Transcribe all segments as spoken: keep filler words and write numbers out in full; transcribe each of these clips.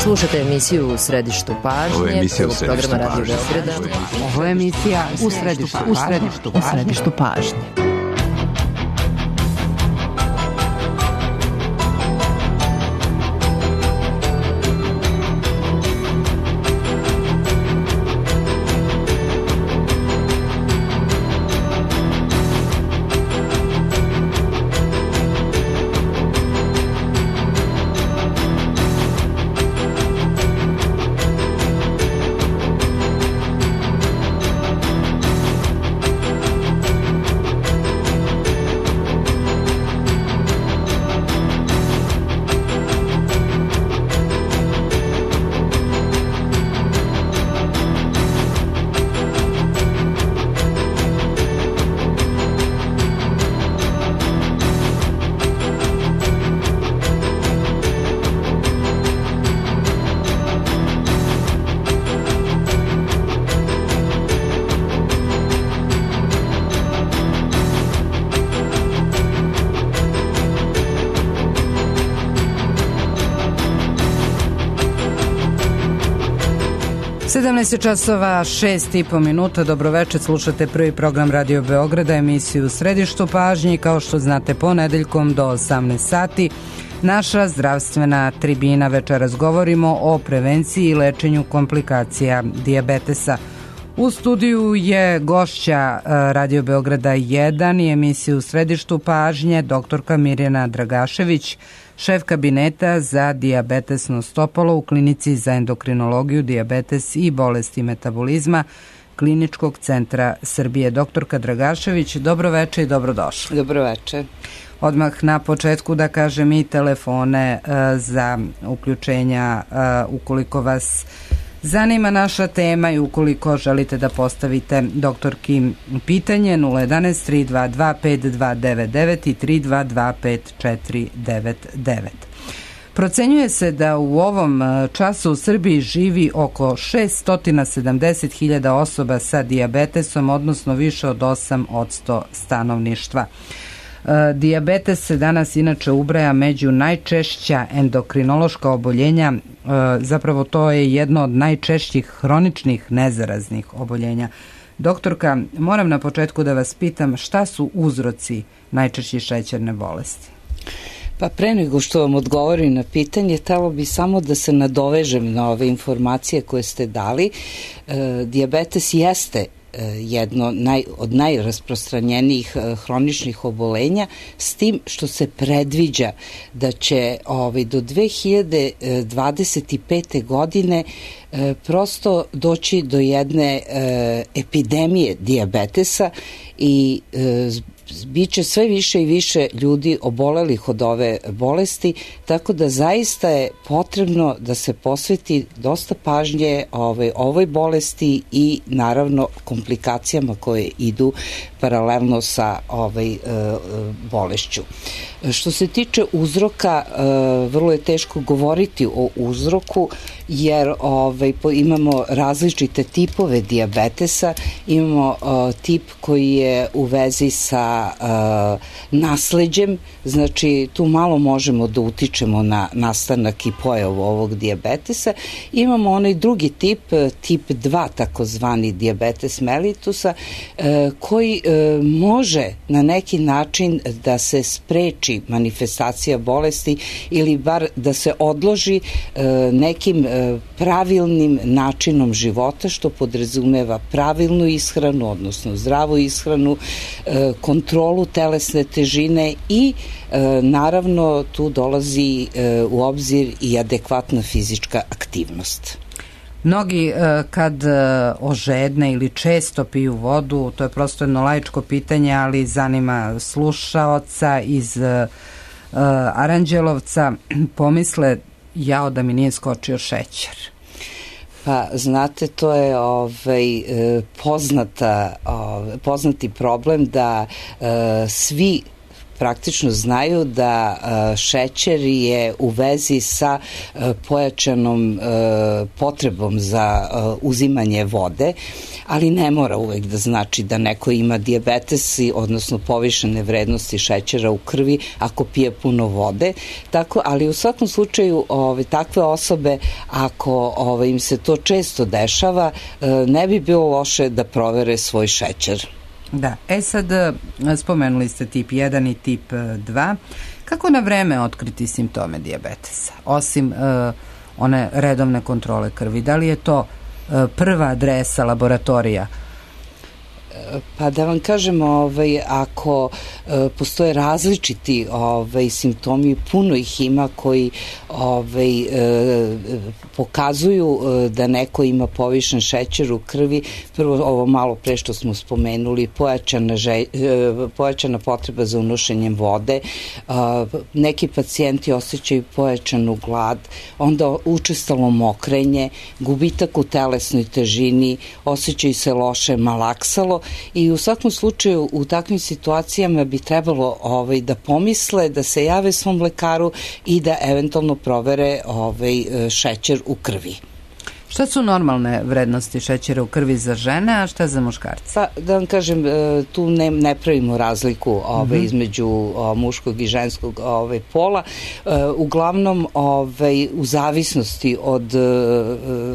Slušate emisiju U središtu pažnje. Ovo je emisija U središtu pažnje. Ovo je emisija U središtu pažnje. U središtu pažnje. sedamnaest časova, šest i po minuta. Dobroveče, slušate prvi program Radio Beograda, emisiju U središtu pažnje. Kao što znate, ponedeljkom do osamnaest sati naša zdravstvena tribina. Večeras govorimo o prevenciji i lečenju komplikacija dijabetesa. U studiju je gošća Radio Beograda jedan i emisiju U središtu pažnje doktorka Mirjana Dragašević, šef kabineta za dijabetesno stopalo u Klinici za endokrinologiju, dijabetes i bolesti metabolizma Kliničkog centra Srbije. Doktorka Dragašević, dobroveče i dobrodošli. Dobroveče. Odmah na početku da kažem i telefone uh, za uključenja uh, ukoliko vas zanima naša tema i ukoliko želite da postavite doktorki pitanje nula jedanaest tri dva dva pet dva devet devet i tri dva dva pet četiri devet devet. Procenjuje se da u ovom času u Srbiji živi oko šesto sedamdeset hiljada osoba sa dijabetesom, odnosno više od osam posto stanovništva. Dijabetes se danas inače ubraja među najčešća endokrinološka oboljenja, zapravo to je jedno od najčešćih hroničnih nezaraznih oboljenja. Doktorka, moram na početku da vas pitam šta su uzroci najčešće šećerne bolesti? Pa pre nego što vam odgovorim na pitanje, htelo bi samo da se nadovežem na ove informacije koje ste dali. E, dijabetes jeste jedno naj, od najrasprostranjenijih hroničnih obolenja, s tim što se predviđa da će ovaj, do dve hiljade dvadeset pete. godine e, prosto doći do jedne e, epidemije dijabetesa i e, biće sve više i više ljudi obolelih od ove bolesti, tako da zaista je potrebno da se posveti dosta pažnje ovoj, ovoj bolesti i naravno komplikacijama koje idu paralelno sa ovaj, e, bolešću. Što se tiče uzroka, e, vrlo je teško govoriti o uzroku, jer ovaj, imamo različite tipove dijabetesa. Imamo e, tip koji je u vezi sa e, nasleđem, znači tu malo možemo da utičemo na nastanak i pojavu ovog dijabetesa. Imamo onaj drugi tip, tip dva, takozvani dijabetes mellitusa, e, koji e, može na neki način da se spreči manifestacija bolesti ili bar da se odloži e, nekim e, pravilnim načinom života, što podrazumeva pravilnu ishranu, odnosno zdravu ishranu, e, kontrolu telesne težine i e, naravno tu dolazi e, u obzir i adekvatna fizička aktivnost. Mnogi kad ožedne ili često piju vodu, to je prosto jedno laičko pitanje, ali zanima slušaoca iz Aranđelovca, pomisle jao da mi nije skočio šećer. Pa znate, to je ovaj, poznata, ovaj, poznati problem da uh, svi praktično znaju da uh, šećer je u vezi sa uh, pojačanom uh, potrebom za uh, uzimanje vode, ali ne mora uvek da znači da neko ima dijabetes, odnosno povišene vrednosti šećera u krvi ako pije puno vode. Tako, ali u svakom slučaju ove, takve osobe, ako ove, im se to često dešava, ne bi bilo loše da provere svoj šećer. Da, e sad spomenuli ste tip jedan i tip dva. Kako na vreme otkriti simptome dijabetesa? Osim uh, one redovne kontrole krvi, da li je to uh, prva adresa laboratorija? Pa da vam kažem, ovaj, ako e, postoje različiti ovaj, simptomi, puno ih ima koji ovaj, e, pokazuju e, da neko ima povišen šećer u krvi. Prvo, ovo malo pre što smo spomenuli, pojačana, že, e, pojačana potreba za unošenjem vode, e, neki pacijenti osjećaju pojačanu glad, onda učestalo mokrenje, gubitak u telesnoj težini, osjećaju se loše, malaksalo. I u svakom slučaju u takvim situacijama bi trebalo ovaj, da pomisle, da se jave svom lekaru i da eventualno provere ovaj, šećer u krvi. Šta su normalne vrednosti šećera u krvi za žene, a šta za muškarce? Pa, da vam kažem, tu ne, ne pravimo razliku ovaj, mm-hmm. između o, muškog i ženskog ovaj, pola. E, uglavnom, ovaj, u zavisnosti od e,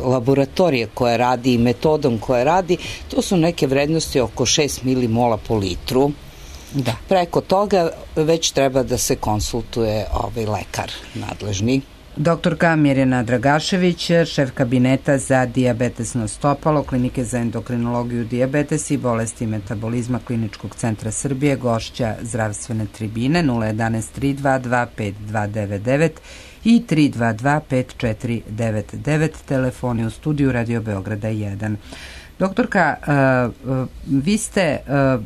laboratorije koje radi i metodom koje radi, to su neke vrednosti oko šest milimola po litru. Da. Preko toga već treba da se konsultuje ovaj, lekar nadležni. Doktorka Mirjana Dragašević, šef kabineta za dijabetesno stopalo Klinike za endokrinologiju, dijabetes i bolesti metabolizma Kliničkog centra Srbije, gošća zdravstvene tribine. Nula jedanaest tri dva dva pet dva devet devet i tri dva dva pet četiri devet devet, telefoni u studiju Radio Beograda jedan. Doktorka, uh, vi ste, uh,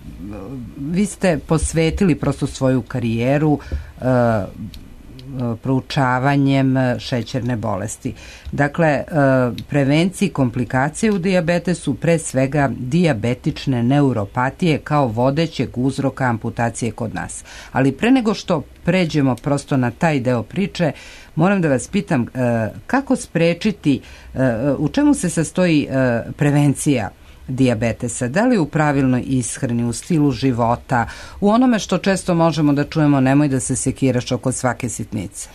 vi ste posvetili prosto svoju karijeru uh, proučavanjem šećerne bolesti. Dakle, prevenciji komplikacije u dijabetesu, pre svega dijabetične neuropatije kao vodećeg uzroka amputacije kod nas. Ali pre nego što pređemo prosto na taj deo priče, moram da vas pitam kako sprečiti, u čemu se sastoji prevencija dijabetesa, da li u pravilnoj ishrani, u stilu života, u onome što često možemo da čujemo, nemoj da se sekiraš oko svake sitnice?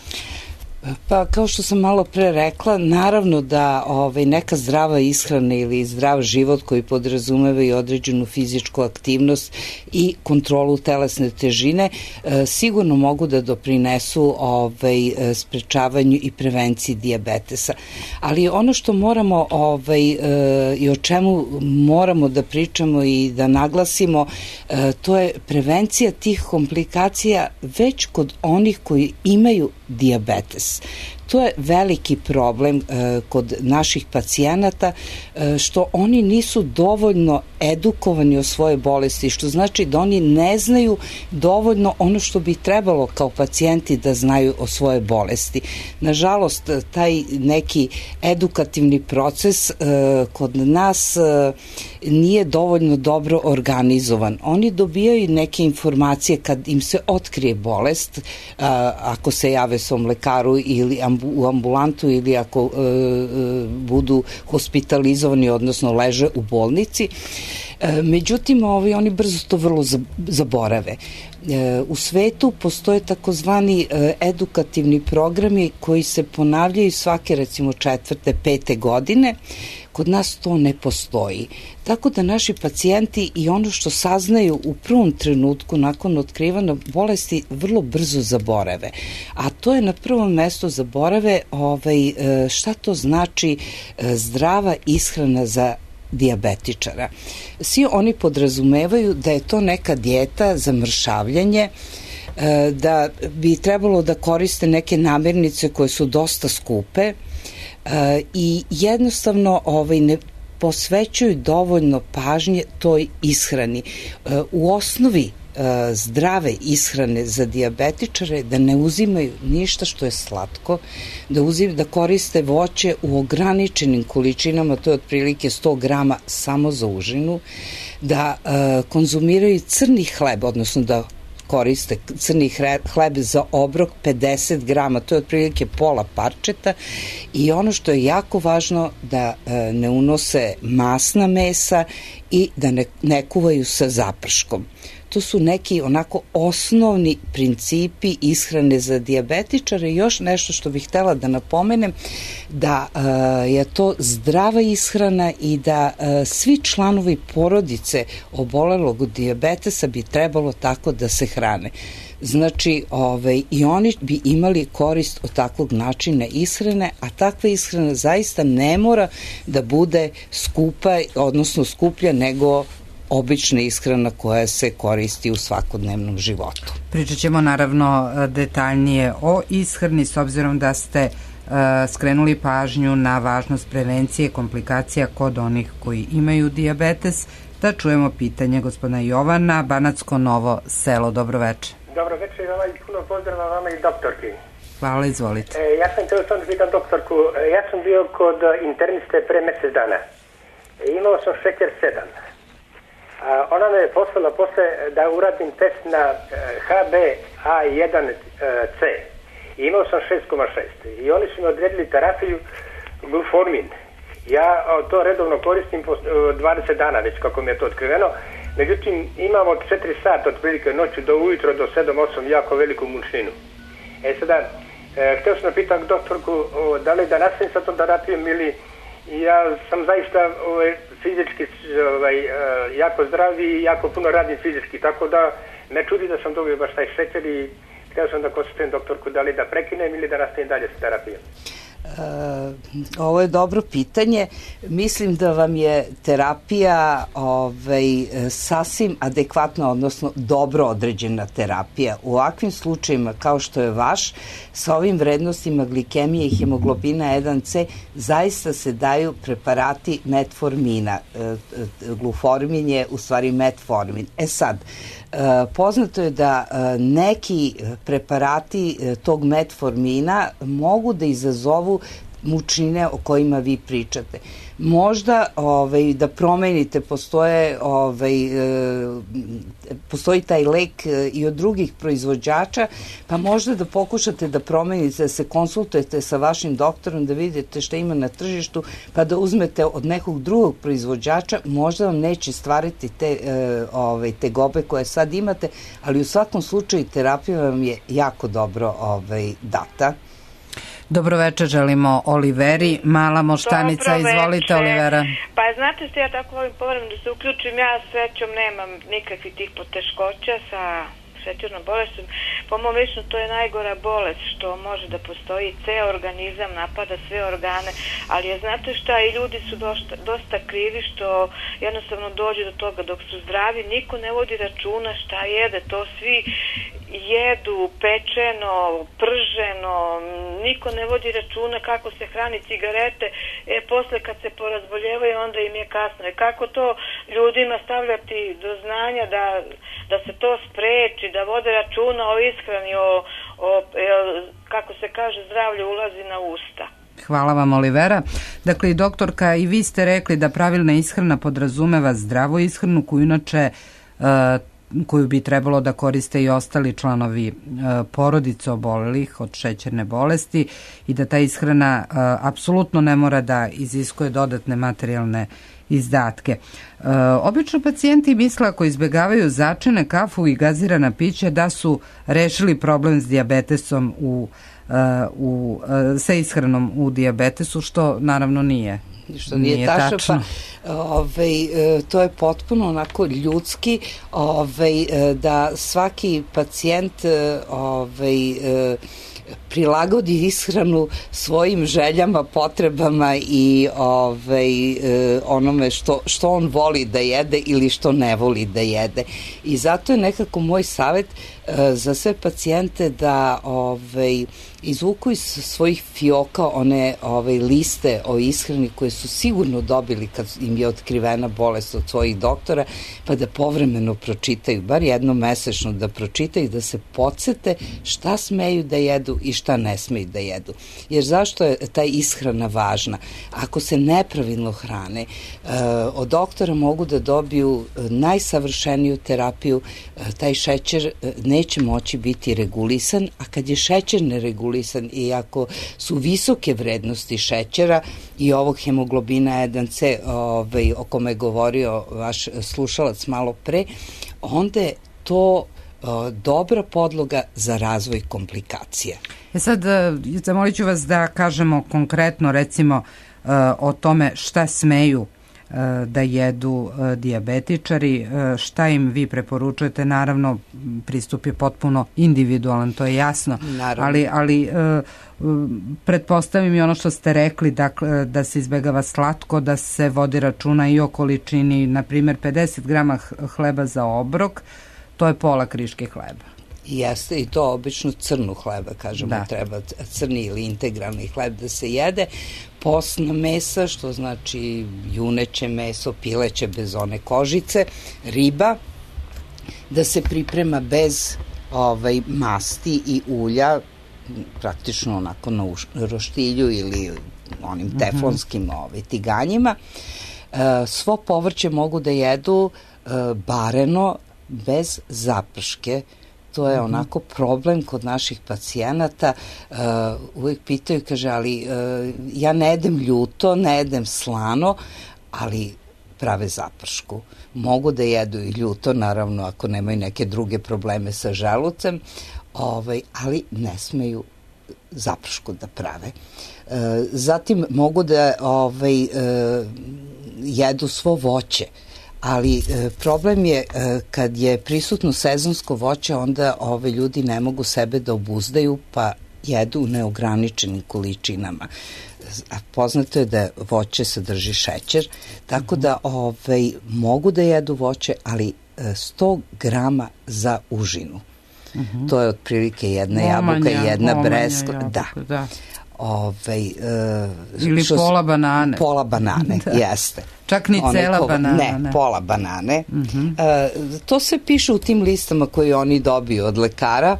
Pa kao što sam malo pre rekla, naravno da ovaj, neka zdrava ishrana ili zdrav život koji podrazumeva i određenu fizičku aktivnost i kontrolu telesne težine e, sigurno mogu da doprinesu ovaj, sprečavanju i prevenciji dijabetesa. Ali ono što moramo ovaj, e, i o čemu moramo da pričamo i da naglasimo, e, to je prevencija tih komplikacija već kod onih koji imaju dijabetes. To je veliki problem e, kod naših pacijenata, e, što oni nisu dovoljno edukovani o svojoj bolesti, što znači da oni ne znaju dovoljno ono što bi trebalo kao pacijenti da znaju o svojoj bolesti. Nažalost, taj neki edukativni proces e, kod nas e, nije dovoljno dobro organizovan. Oni dobijaju neke informacije kad im se otkrije bolest, a, ako se jave svom lekaru ili u ambulantu ili ako e, e, budu hospitalizovani, odnosno leže u bolnici. E, međutim, ovi, oni brzo to vrlo zaborave. E, u svetu postoje takozvani e, edukativni programi koji se ponavljaju svake recimo četvrte, pete godine. Kod nas to ne postoji. Tako da naši pacijenti i ono što saznaju u prvom trenutku nakon otkrivanja bolesti vrlo brzo zaborave. A to je na prvom mestu zaborave ovaj, šta to znači zdrava ishrana za dijabetičara. Svi oni podrazumevaju da je to neka dijeta za mršavljanje, da bi trebalo da koriste neke namirnice koje su dosta skupe, i jednostavno ovaj, ne posvećuju dovoljno pažnje toj ishrani. U osnovi zdrave ishrane za dijabetičare da ne uzimaju ništa što je slatko, da, uzim, da koriste voće u ograničenim količinama, to je otprilike sto grama samo za užinu, da konzumiraju crni hleb, odnosno da koriste crni hleb za obrok pedeset grama, to je otprilike pola parčeta, i ono što je jako važno da ne unose masna mesa i da ne, ne kuvaju sa zaprškom. To su neki onako osnovni principi ishrane za dijabetičare. Još nešto što bih htela da napomenem, da uh, je to zdrava ishrana i da uh, svi članovi porodice obolelog od dijabetesa bi trebalo tako da se hrane. Znači, ovaj, i oni bi imali korist od takvog načina ishrane, a takva ishrana zaista ne mora da bude skupa, odnosno skuplja nego obična ishrana koja se koristi u svakodnevnom životu. Pričat ćemo naravno detaljnije o ishrani, s obzirom da ste uh, skrenuli pažnju na važnost prevencije komplikacija kod onih koji imaju dijabetes. Da čujemo pitanje gospodina Jovana, Banatsko Novo Selo. Dobro večer. Dobro večer, vama i puno pozdrava vama i doktorki. Hvala, izvolite. E, ja sam htio sam da pitam doktorku, ja sam bio kod interniste pre mesec dana. E, imao sam šećer sedam. A ona me je poslala posle da uradim test na H B A jedan C. I imao sam šest zarez šest. I oni su mi odredili terapiju gluformin. Ja to redovno koristim po dvadeset dana već kako mi je to otkriveno. Međutim, imam od četiri sata otprilike noću do ujutro do sedam osam jako veliku mučninu. E sada, e, htio sam da pitam doktorku o, da li da nastavim sa tom terapijom ili ja sam zaista ovaj, fizički ovaj, jako zdrav i jako puno radim fizički, tako da me čudi da sam dobio baš taj šećer i htio sam da konsultujem doktorku da li da prekinem ili da nastavim dalje sa terapijom. Uh, ovo je dobro pitanje. Mislim da vam je terapija ovaj, sasvim adekvatna, odnosno dobro određena terapija. U ovakvim slučajima kao što je vaš, sa ovim vrednostima glikemije i hemoglobina jedan C zaista se daju preparati metformina. Uh, gluformin je u stvari metformin. E sad, uh, poznato je da uh, neki preparati uh, tog metformina mogu da izazovu mučnine o kojima vi pričate. Možda ovaj, da promenite, postoje, ovaj, e, postoji taj lek i od drugih proizvođača, pa možda da pokušate da promenite, da se konsultujete sa vašim doktorom, da vidite šta ima na tržištu, pa da uzmete od nekog drugog proizvođača, možda vam neće stvariti te, e, ovaj, te gobe koje sad imate, ali u svakom slučaju terapija vam je jako dobro ovaj, data. Dobro večer, želimo Oliveri, Mala Moštanica, izvolite Olivera. Pa znate što ja tako volim povremeno da se uključim, ja srećom nemam nikakvih tih poteškoća sa šećernom bolestom. Po mom lično to je najgora bolest što može da postoji, ceo organizam napada sve organe, ali je, znate šta, i ljudi su dosta, dosta krivi što jednostavno dođe do toga dok su zdravi, niko ne vodi računa šta jede, to svi jedu pečeno, prženo, niko ne vodi računa kako se hrani, cigarete, e posle kad se porazboljevaju onda im je kasno. E kako to ljudima stavljati do znanja da, da se to spreči, da vode računa o ishrani, o, o kako se kaže, zdravlje ulazi na usta. Hvala vam, Olivera. Dakle, i doktorka, i vi ste rekli da pravilna ishrana podrazumeva zdravu ishranu koju inače uh, koju bi trebalo da koriste i ostali članovi uh, porodice obolelih od šećerne bolesti i da ta ishrana uh, apsolutno ne mora da iziskuje dodatne materijalne izdatke. Uh, obično pacijenti misle ako izbegavaju začine, kafu i gazirana pića da su rešili problem s dijabetesom u Uh, u, uh, sa ishranom u dijabetesu, što naravno nije. Što nije, nije tačno, tačno. Pa ovaj, to je potpuno onako ljudski, ovaj, da svaki pacijent ovaj, prilagodi ishranu svojim željama, potrebama i ovaj, onome što, što on voli da jede ili što ne voli da jede. I zato je nekako moj savjet za sve pacijente da ovaj, izvuku iz svojih fioka one ovaj, liste o ishrani koje su sigurno dobili kad im je otkrivena bolest od svojih doktora, pa da povremeno pročitaju, bar jednom mesečno da pročitaju, da se podsete šta smeju da jedu i šta šta ne smeju da jedu. Jer zašto je ta ishrana važna? Ako se nepravilno hrane, od doktora mogu da dobiju najsavršeniju terapiju, taj šećer neće moći biti regulisan, a kad je šećer neregulisan i ako su visoke vrednosti šećera i ovog hemoglobina jedan ce ovaj, o kome je govorio vaš slušalac malo pre, onda je to dobra podloga za razvoj komplikacija. E sad, zamolit ću vas da kažemo konkretno, recimo, o tome šta smeju da jedu dijabetičari, šta im vi preporučujete. Naravno, pristup je potpuno individualan, to je jasno, Naravno. ali, ali pretpostavim i ono što ste rekli, dakle, da se izbegava slatko, da se vodi računa i o količini, na primjer pedeset grama hleba za obrok, to je pola kriške hleba. Jeste, i to obično crnu hleba, kažemo, da. Treba crni ili integralni hleb da se jede. Postna mesa, što znači juneće meso, pileće bez one kožice, riba, da se priprema bez ovaj, masti i ulja, praktično onako na roštilju ili onim teflonskim ovaj, tiganjima. E, svo povrće mogu da jedu e, bareno, bez zaprške. To je onako problem kod naših pacijenata. Uh, uvijek pitaju, kaže, ali uh, ja ne jedem ljuto, ne jedem slano, ali prave zapršku. Mogu da jedu i ljuto, naravno, ako nemaju neke druge probleme sa želucem, ovaj, ali ne smeju zapršku da prave. Uh, zatim mogu da ovaj, uh, jedu svo voće, ali e, problem je e, kad je prisutno sezonsko voće, onda ove ljudi ne mogu sebe da obuzdaju pa jedu u neograničenim količinama. A poznato je da voće sadrži šećer, tako da ovaj, mogu da jedu voće, ali e, sto grama za užinu. Uh-huh. To je otprilike jedna omanja, jabuka i jedna breskva. Da. da. Ove, e, Ili što, pola banane. Pola banane, da. Jeste. Čak ni One cela ko, banana. Ne, ne, pola banane. Uh-huh. E, to se piše u tim listama koje oni dobiju od lekara.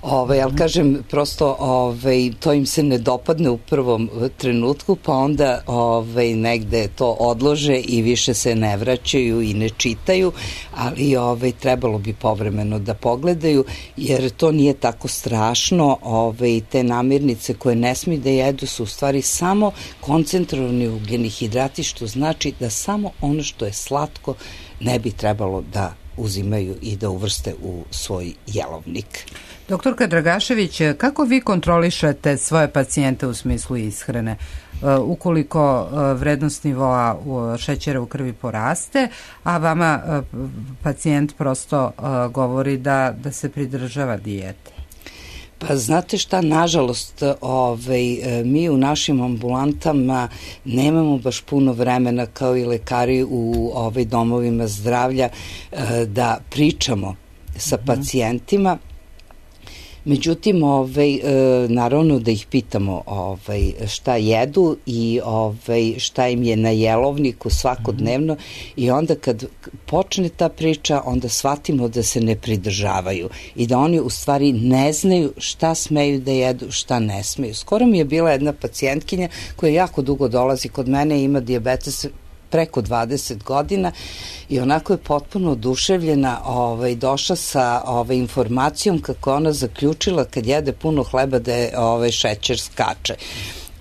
Ove, ali kažem, prosto ove, to im se ne dopadne u prvom trenutku, pa onda ove, negde to odlože i više se ne vraćaju i ne čitaju, ali ove, trebalo bi povremeno da pogledaju, jer to nije tako strašno. Ove, te namirnice koje ne smiju da jedu su u stvari samo koncentrovani ugljeni hidrati, što znači da samo ono što je slatko ne bi trebalo da uzimaju i da uvrste u svoj jelovnik. Doktorka Dragašević, kako vi kontrolišete svoje pacijente u smislu ishrane? Ukoliko vrednost nivoa šećera u krvi poraste, a vama pacijent prosto govori da, da se pridržava dijete? Pa znate šta, nažalost, ovaj, mi u našim ambulantama nemamo baš puno vremena kao i lekari u ovaj, domovima zdravlja da pričamo sa pacijentima. Međutim, ovaj, naravno da ih pitamo ovaj, šta jedu i ovaj, šta im je na jelovniku svakodnevno i onda kad počne ta priča, onda shvatimo da se ne pridržavaju i da oni u stvari ne znaju šta smeju da jedu, šta ne smeju. Skoro mi je bila jedna pacijentkinja koja jako dugo dolazi kod mene i ima dijabetes preko dvadeset godina i onako je potpuno oduševljena, ovaj, došla sa ovaj, informacijom kako ona zaključila kad jede puno hleba da je ovaj, šećer skače.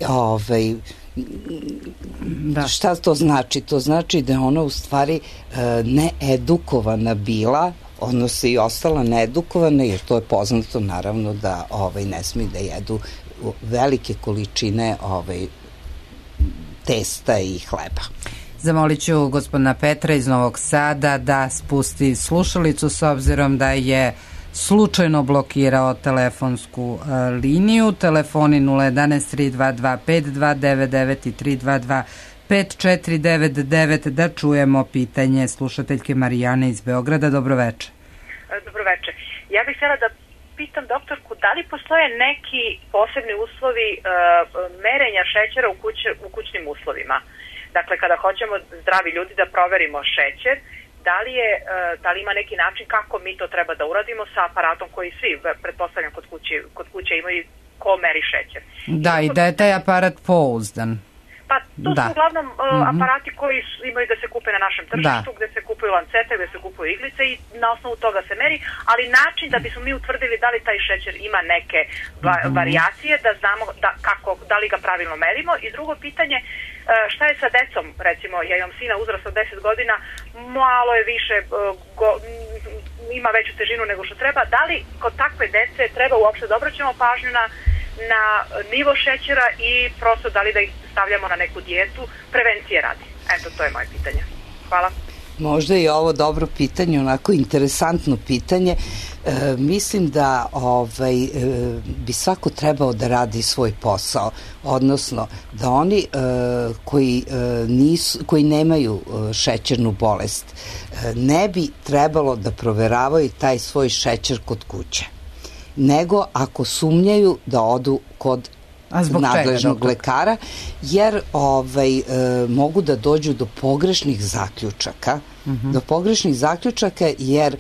Ovaj, da. Šta to znači? To znači da je ona u stvari needukovana bila, odnosno i ostala needukovana, jer to je poznato naravno da ovaj, ne smiju da jedu velike količine ovaj, testa i hleba. Zamolit ću gospodina Petra iz Novog Sada da spusti slušalicu s obzirom da je slučajno blokirao telefonsku uh, liniju. Telefoni nula jedan tri dva dva pet dva devet devet i tri dva dva pet četiri devet devet, da čujemo pitanje slušateljke Marijane iz Beograda. Dobroveče. Dobroveče. Ja bih htjela da pitam doktorku da li postoje neki posebni uslovi uh, merenja šećera u, kuć, u kućnim uslovima. Dakle, kada hoćemo zdravi ljudi da proverimo šećer, da li, je, da li ima neki način kako mi to treba da uradimo sa aparatom koji svi, pretpostavljam, kod kuće, kod kuće imaju, ko ko meri šećer. Da, i da je taj aparat pouzdan. Pa to da. su uglavnom uh, mm-hmm. aparati koji su, imaju da se kupe na našem tržištu, da. Gde se kupuju lancete, gde se kupuju iglice i na osnovu toga se meri, ali način da bismo mi utvrdili da li taj šećer ima neke va, mm-hmm. varijacije, da znamo da, kako, da li ga pravilno merimo. I drugo pitanje, uh, šta je sa decom, recimo, ja imam sina uzrasta od deset godina, malo je više, uh, go, ima veću težinu nego što treba, da li kod takve dece treba uopšte da obraćamo pažnju na na nivo šećera i prosto da li da ih stavljamo na neku dijetu, prevencije radi. Eto, to je moje pitanje. Hvala. Možda je ovo dobro pitanje, onako interesantno pitanje. E, mislim da ovaj, e, bi svako trebao da radi svoj posao, odnosno da oni e, koji, e, nisu, koji nemaju e, šećernu bolest e, ne bi trebalo da proveravaju taj svoj šećer kod kuće, nego ako sumnjaju da odu kod nadležnog čega, lekara, jer ovaj, e, mogu da dođu do pogrešnih zaključaka, mm-hmm. do pogrešnih zaključaka, jer e,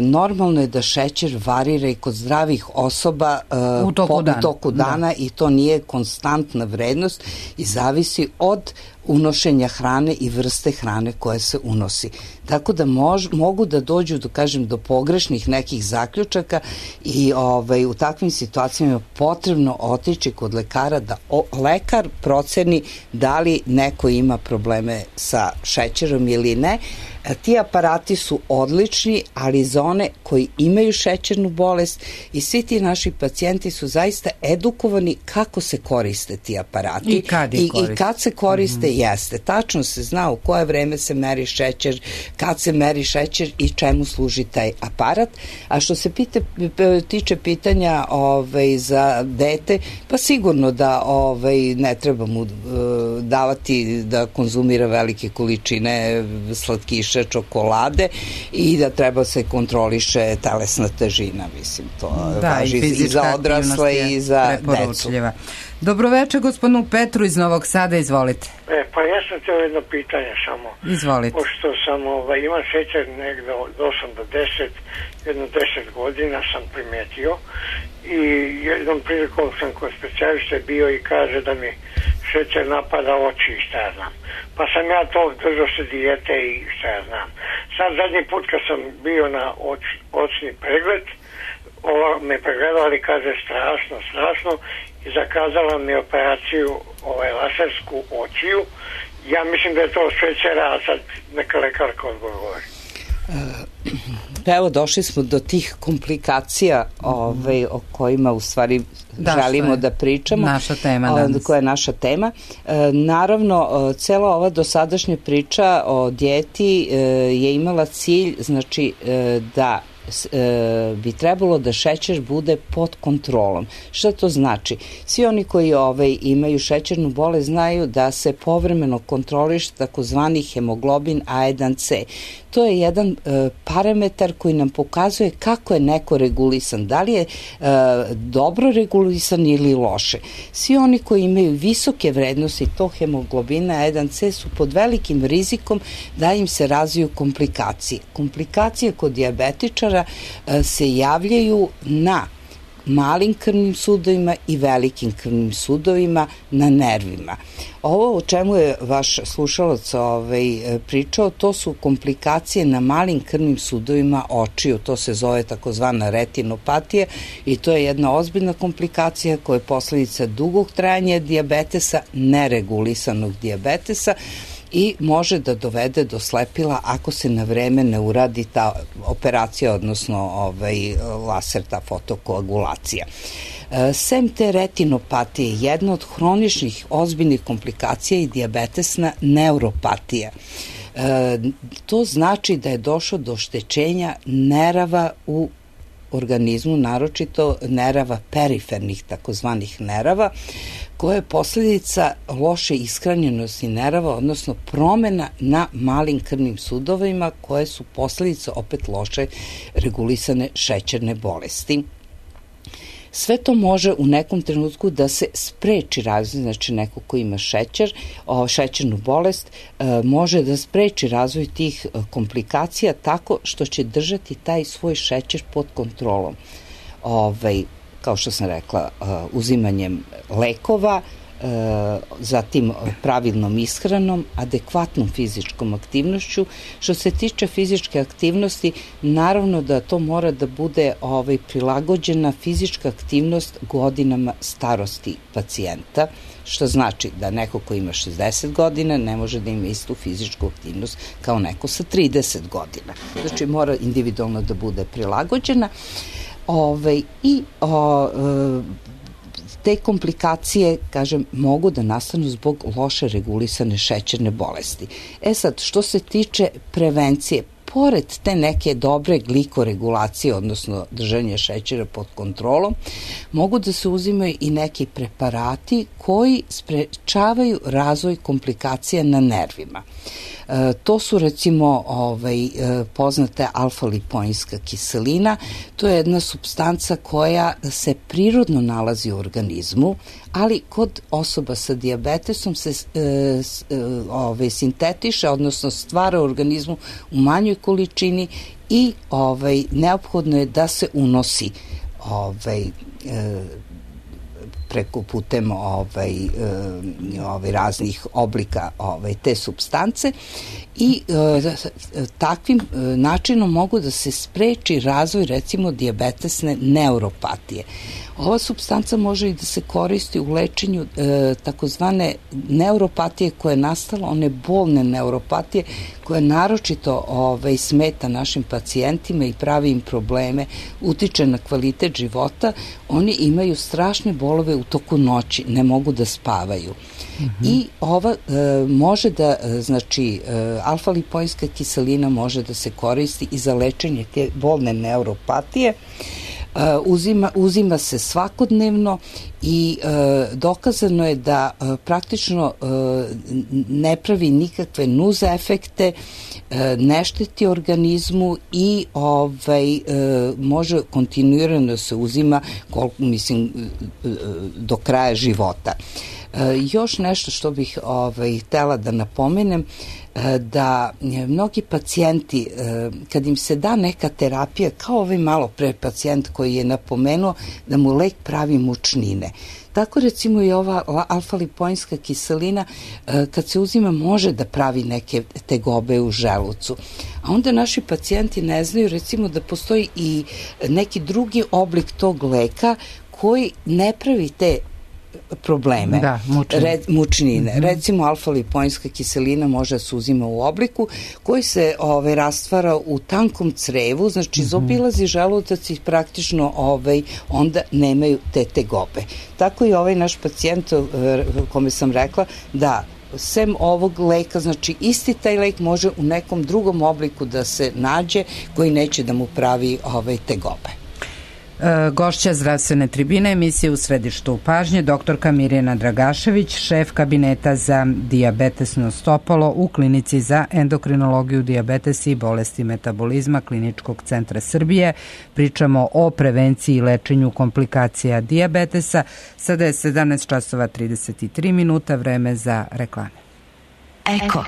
normalno je da šećer varira i kod zdravih osoba e, u toku po, dana, u toku dana da. I to nije konstantna vrednost i zavisi od unošenja hrane i vrste hrane koje se unosi. Tako da mož, mogu da dođu do, kažem, do pogrešnih nekih zaključaka i ovaj, u takvim situacijama je potrebno otići kod lekara da o, lekar proceni da li neko ima probleme sa šećerom ili ne. Ti aparati su odlični, ali za one koji imaju šećernu bolest i svi ti naši pacijenti su zaista edukovani kako se koriste ti aparati. I kad, I, i kad se koriste, mm-hmm. jeste. Tačno se zna u koje vreme se meri šećer, kad se meri šećer i čemu služi taj aparat. A što se pite, tiče pitanja ovaj, za dete, pa sigurno da ovaj, ne treba mu uh, davati da konzumira velike količine slatkiša, čokolade i da treba se kontroliše telesna težina, mislim, to da, važi i, i za odrasle i za decu. Dobroveče gospodinu Petru iz Novog Sada, izvolite. E, pa ja sam teo jedno pitanje samo. Izvolite. Pošto sam, ovaj, imam šećer negde od osam do deset, jedno deset godina sam primetio i jednom prilikom sam kod specijaliste bio i kaže da mi šećer napada oči i šta ja znam. Pa sam ja to držao se dijete i šta ja znam. Sad zadnji put kad sam bio na oč, očni pregled, ova me pregledala i kaže strašno, strašno i zakazala mi operaciju ovaj, lasersku očiju. Ja mislim da je to šećera, a sad neka lekarka odgovori. Evo, došli smo do tih komplikacija ovaj, o kojima u stvari da, želimo da pričamo. Naša tema danas. Koja je naša tema. E, naravno, cela ova dosadašnja priča o dijeti e, je imala cilj, znači, e, da e, bi trebalo da šećer bude pod kontrolom. Šta to znači? Svi oni koji ovaj, imaju šećernu bolest znaju da se povremeno kontroliše takozvani hemoglobin A jedan C. To je jedan e, parametar koji nam pokazuje kako je neko regulisan, da li je e, dobro regulisan ili loše. Svi oni koji imaju visoke vrednosti tog hemoglobina A jedan C su pod velikim rizikom da im se razviju komplikacije. Komplikacije kod dijabetičara e, se javljaju na malim krvnim sudovima i velikim krvnim sudovima na nervima. Ovo o čemu je vaš slušalac ovaj, pričao, to su komplikacije na malim krvnim sudovima očiju, to se zove takozvana retinopatija i to je jedna ozbiljna komplikacija koja je posledica dugog trajanja dijabetesa, neregulisanog dijabetesa i može da dovede do slepila ako se na vreme ne uradi ta operacija, odnosno ovaj, laser, ta fotokoagulacija. Sem te retinopatije, jedna od hroničnih ozbiljnih komplikacija je dijabetesna neuropatija. E, to znači da je došlo do oštećenja nerava u organizmu, naročito nerava perifernih, takozvanih nerava, koja je posljedica loše ishranjenosti nerava, odnosno promena na malim krvnim sudovima koje su posljedica opet loše regulisane šećerne bolesti. Sve to može u nekom trenutku da se spreči razvoj, znači neko ko ima šećer, o, šećernu bolest, e, može da spreči razvoj tih komplikacija tako što će držati taj svoj šećer pod kontrolom. Ovaj, kao što sam rekla, uzimanjem lekova, zatim pravilnom ishranom, adekvatnom fizičkom aktivnošću. Što se tiče fizičke aktivnosti, naravno da to mora da bude ovaj, prilagođena fizička aktivnost godinama starosti pacijenta, što znači da neko ko ima šezdeset godina ne može da ima istu fizičku aktivnost kao neko sa trideset godina. Znači mora individualno da bude prilagođena. Ove, i o, te komplikacije, kažem, mogu da nastanu zbog loše regulisane šećerne bolesti. E sad, što se tiče prevencije, pored te neke dobre glikoregulacije, odnosno držanje šećera pod kontrolom, mogu da se uzimaju i neki preparati koji sprečavaju razvoj komplikacija na nervima. E, to su recimo ovaj, poznata alfa-lipoinska kiselina. To je jedna supstanca koja se prirodno nalazi u organizmu, ali kod osoba sa dijabetesom se e, e, ovaj, sintetiše, odnosno stvara u organizmu u manjoj količini i ovaj, neophodno je da se unosi ovaj, e, preko putem ovaj, ovaj, raznih oblika ovaj, te supstance i e, takvim načinom mogu da se spreči razvoj recimo dijabetesne neuropatije. Ova supstanca može i da se koristi u lečenju e, takozvane neuropatije koja je nastala, one bolne neuropatije koja naročito ovaj, smeta našim pacijentima i pravi im probleme, utiče na kvalitet života. Oni imaju strašne bolove u toku noći, ne mogu da spavaju. Mm-hmm. I ova e, može da, znači, e, alfa-lipoinska kiselina može da se koristi i za lečenje te bolne neuropatije. Uh, uzima, uzima se svakodnevno i uh, dokazano je da uh, praktično uh, ne pravi nikakve nuz efekte, uh, ne šteti organizmu i ovaj, uh, može kontinuirano da se uzima koliko, mislim, uh, do kraja života. Uh, još nešto što bih ovaj, htela da napomenem, da mnogi pacijenti, kad im se da neka terapija, kao ovaj malo pre pacijent koji je napomenuo da mu lek pravi mučnine. Tako recimo i ova alfa-lipoinska kiselina kad se uzima može da pravi neke tegobe u želucu. A onda naši pacijenti ne znaju recimo da postoji i neki drugi oblik tog leka koji ne pravi te probleme, da, mučnine. Red, mučnine. Mm-hmm. Recimo alfa-lipoinska kiselina može da se uzima u obliku koji se ovaj, rastvara u tankom crevu, znači mm-hmm. zobilazi želudac i praktično ovaj, onda nemaju te tegobe. Tako i ovaj naš pacijent, kome sam rekla, da sem ovog leka, znači isti taj lek može u nekom drugom obliku da se nađe koji neće da mu pravi ovaj, tegobe. Gošća zdravstvene tribine emisije U središtu pažnje, doktorka Mirjana Dragašević, šef kabineta za dijabetesno stopalo u klinici za endokrinologiju, dijabetes i bolesti metabolizma Kliničkog centra Srbije. Pričamo o prevenciji i lečenju komplikacija dijabetesa. Sada je sedamnaest časova trideset tri minuta, vreme za reklame. Eko.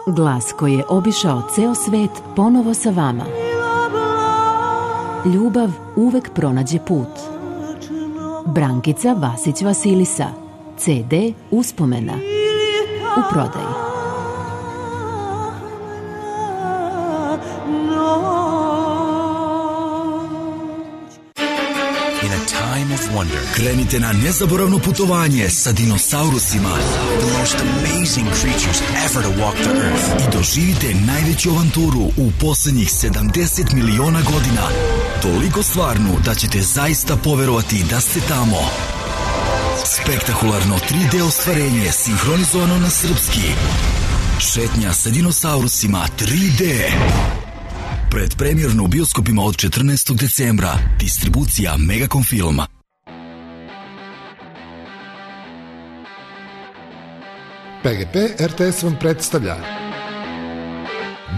Glas koji je obišao ceo svet ponovo sa vama. Ljubav uvek pronađe put. Brankica Vasić Vasilisa. ce de Uspomena. U prodaji. Wonder. Krenite na nezaboravno putovanje sa dinosaurusima. The most amazing creatures ever to walk the earth. I doživite najveću avanturu u poslednjih sedamdeset miliona godina. Toliko stvarnu da ćete zaista poverovati da ste tamo. Spektakularno tri de ostvarenje sinhronizovano na srpski. Šetnja sa dinosaurusima tri de. Predpremjerno u bioskopima od četrnaestog decembra. Distribucija Megacom Filma. P G P R T S vam predstavlja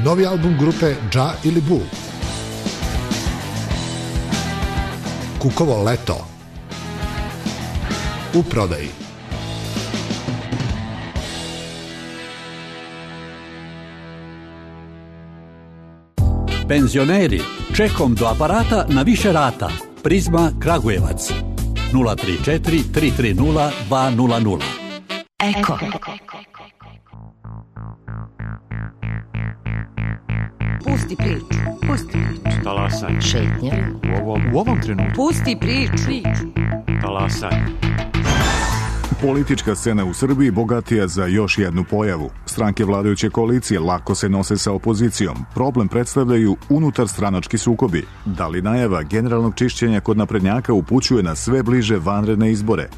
novi album grupe Dža ili Bu, Kukovo leto, u prodaji. Penzioneri, čekom do aparata na više rata. Prizma Kragujevac. nula tri četiri tri tri nula dva nula nula. Eko. Pusti priču. Pusti priču. Talasaj. Šetnja. U ovom, u ovom trenutku. Pusti priču. Talasaj. Politička scena u Srbiji bogatija za još jednu pojavu. Stranke vladajuće koalicije lako se nose sa opozicijom. Problem predstavljaju unutar stranački sukobi. Da li najava generalnog čišćenja kod naprednjaka upućuje na sve bliže vanredne izbore?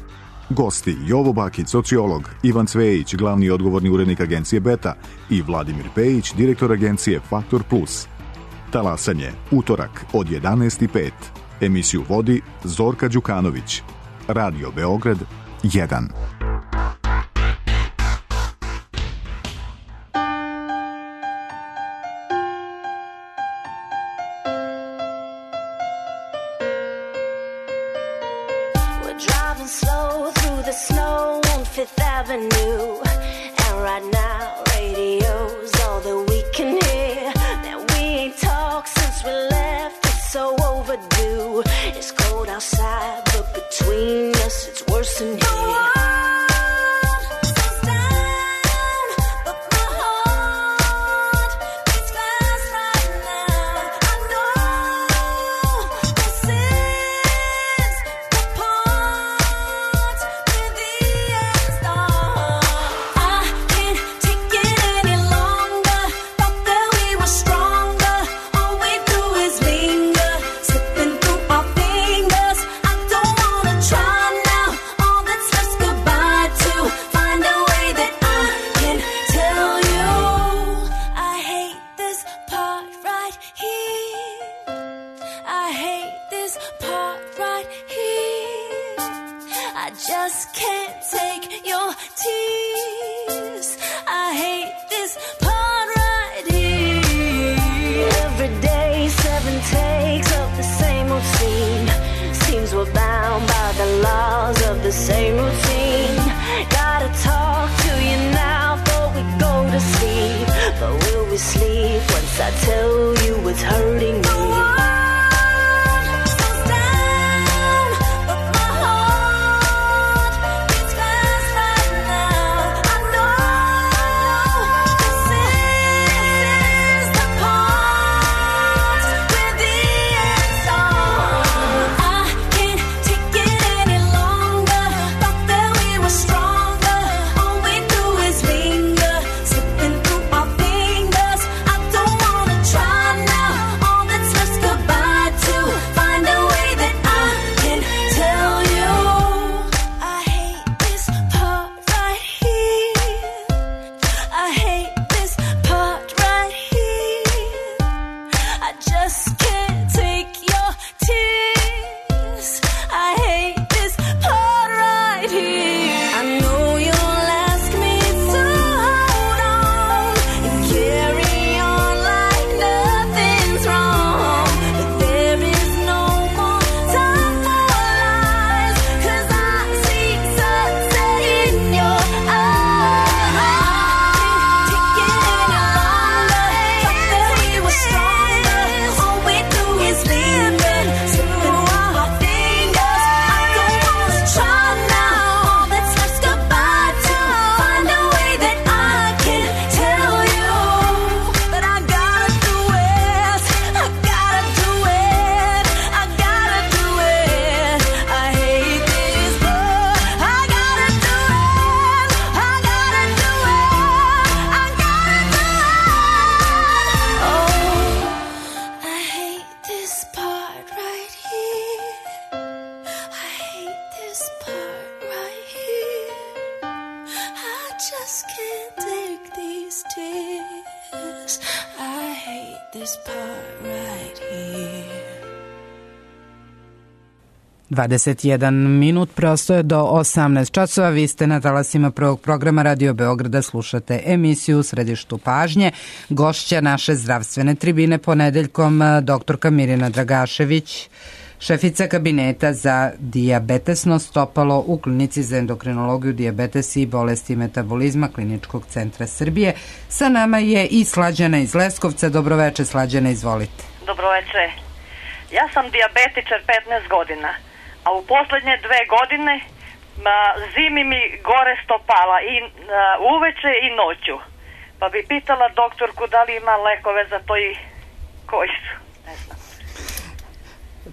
Gosti Jovo Bakić, sociolog, Ivan Cvejić, glavni odgovorni urednik agencije Beta i Vladimir Pejić, direktor agencije Faktor Plus. Talasanje, utorak od jedanaest i pet. Emisiju vodi Zorka Đukanović. Radio Beograd jedan. Driving slow through the snow on Fifth Avenue, and right now radio's all that we can hear. That we ain't talked since we left, it's so overdue. It's cold outside, but between us it's worse than here. Same routine. Gotta talk to you now before we go to sleep. But will we sleep once I tell you what's hurting me? dvadeset jedan minut, prosto je do osamnaest časova. Vi ste na talasima prvog programa Radio Beograda, slušate emisiju U središtu pažnje. Gošća naše zdravstvene tribine ponedeljkom doktorka Mirjana Dragašević, šefica kabineta za dijabetesno stopalo u klinici za endokrinologiju, dijabetes i bolesti metabolizma Kliničkog centra Srbije. Sa nama je i Slađana iz Leskovca. Dobroveče, Slađana, izvolite. Dobroveče. Ja sam dijabetičar petnaest godina, a u poslednje dve godine ma, zimi mi gore stopala i a, uveče i noću. Pa bi pitala doktorku da li ima lekove za to i koji su, ne znam.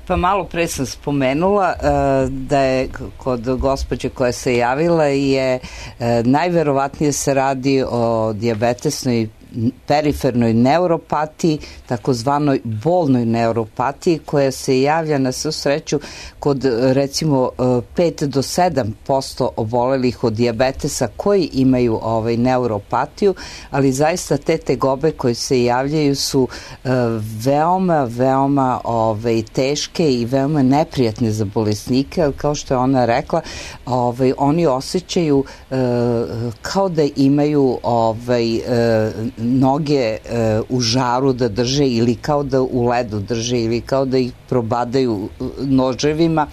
Pa malo pre sam spomenula uh, da je kod gospođe koja se javila je uh, najverovatnije se radi o dijabetesnoj perifernoj neuropatiji, takozvanoj bolnoj neuropatiji koja se javlja na svu sreću kod recimo pet do sedam posto obolelih od dijabetesa koji imaju ovaj neuropatiju, ali zaista te tegobe koje se javljaju su uh, veoma, veoma ovaj, teške i veoma neprijatne za bolesnike, ali kao što je ona rekla, ovaj, oni osjećaju uh, kao da imaju ovaj, uh, noge uh, u žaru da drže ili kao da u ledu drže ili kao da ih probadaju noževima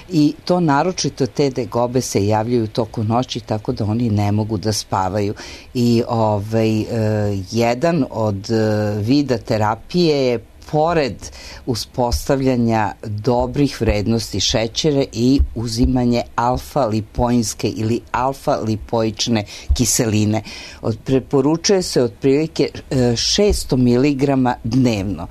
i to naročito te tegobe se javljaju toku noći tako da oni ne mogu da spavaju i ovaj, uh, jedan od uh, vida terapije je pored uspostavljanja dobrih vrednosti šećera i uzimanje alfa-lipoinske ili alfa-lipoične kiseline. Od, preporučuje se otprilike šesto miligrama dnevno.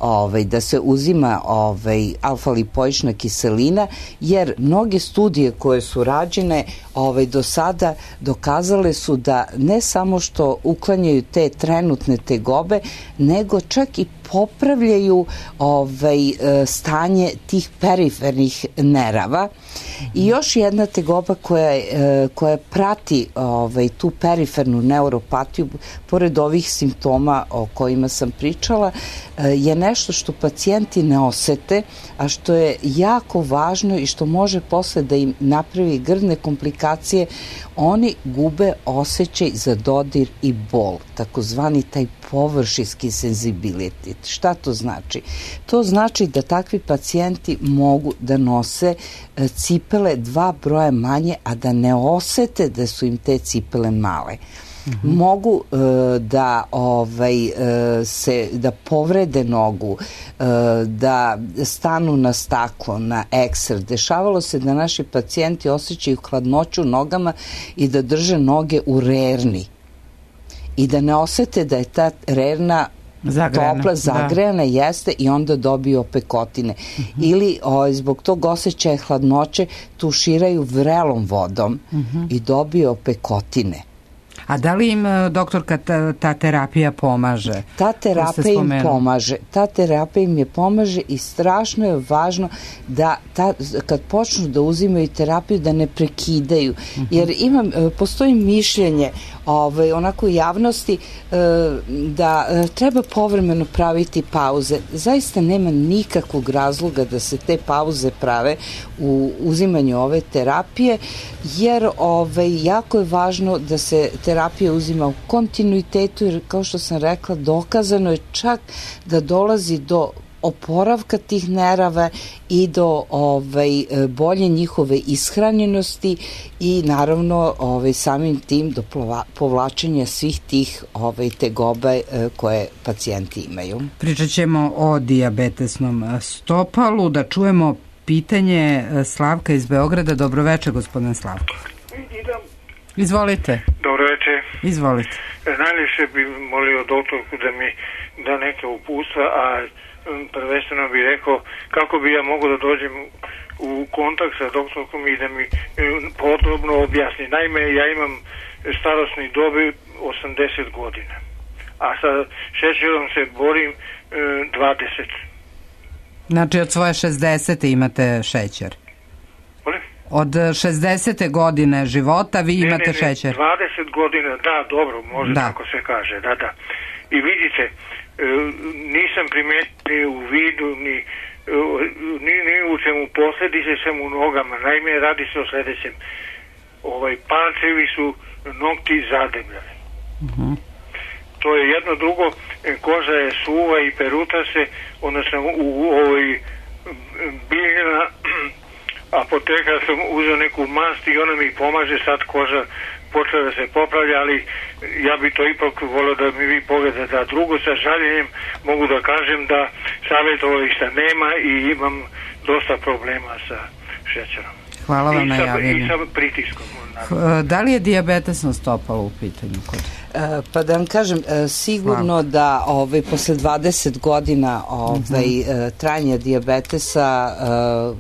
Ovaj, da se uzima ovaj, alfa-lipoična kiselina, jer mnoge studije koje su rađene ovaj, do sada dokazale su da ne samo što uklanjaju te trenutne tegobe, nego čak i popravljaju ovaj, stanje tih perifernih nerava. I još jedna tegoba koja, koja prati ovaj, tu perifernu neuropatiju, pored ovih simptoma o kojima sam pričala, je nešto što pacijenti ne osete, a što je jako važno i što može posle da im napravi grdne komplikacije. Oni gube osjećaj za dodir i bol, takozvani taj površinski senzibilitet. Šta to znači? To znači da takvi pacijenti mogu da nose cipele dva broja manje, a da ne osete da su im te cipele male. Mm-hmm. Mogu uh, da ovaj uh, se da povrede nogu, uh, da stanu na staklo, na ekser. Dešavalo se da naši pacijenti osjećaju hladnoću nogama i da drže noge u rerni i da ne osete da je ta rerna zagrejana, topla, zagrejana, da. Jeste, i onda dobiju opekotine. Mm-hmm. Ili o, zbog tog osjećaja hladnoće tuširaju vrelom vodom mm-hmm. i dobiju opekotine. A da li im, doktorka, ta, ta terapija pomaže? Ta terapija im pomaže. Ta terapija im je pomaže i strašno je važno da ta, kad počnu da uzimaju terapiju da ne prekidaju. Uh-huh. Jer imam, postoji mišljenje ovaj, onako u javnosti da treba povremeno praviti pauze. Zaista nema nikakvog razloga da se te pauze prave u uzimanju ove terapije, jer ovaj, jako je važno da se terapija uzima u kontinuitetu, jer kao što sam rekla, dokazano je čak da dolazi do oporavka tih nerava i do ovaj, bolje njihove ishranjenosti i naravno ovaj, samim tim do povlačenja svih tih ovaj, tegobe koje pacijenti imaju. Pričat ćemo o dijabetesnom stopalu, da čujemo pitanje Slavka iz Beograda. Dobroveče, gospodin Slavko. Idem. Izvolite. Dobroveče. Izvolite. Najljepše bi molio doktorku da mi da neke uputstva, a prvenstveno bi rekao kako bi ja mogao da dođem u kontakt sa doktorkom i da mi podrobno objasni. Naime, ja imam starosni dobi osamdeset godina, a sa šećerom se borim dvadeset. Znači od svoje šezdesete imate šećer? Molim? Od šezdesete godine života vi imate ne, ne, ne, šećer? dvadeset godina, da, dobro, može da. Tako se kaže, da, da. I vidite, nisam primetio u vidu ni, ni, ni u čemu posledice sam u nogama. Naime, radi se o sledećem. Ovaj, palčevi su nokti zadebljali. Uh-huh. To je jedno, drugo, koža je suva i peruta se, onda sam u, u ovoj biljna apoteka sam uzeo neku mast i ona mi pomaže, sad koža počela da se popravlja, ali ja bi to ipak volio da mi vi pogledate. A drugo, sa žaljenjem mogu da kažem da savjetovališta nema i imam dosta problema sa šećerom. Hvala vam na javljenju. I sa pritiskom. Da li je dijabetesno stopalo u pitanju kod? Pa da vam kažem, sigurno Hvala. da ovaj, posle dvadeset godina ovaj, uh-huh. trajanja dijabetesa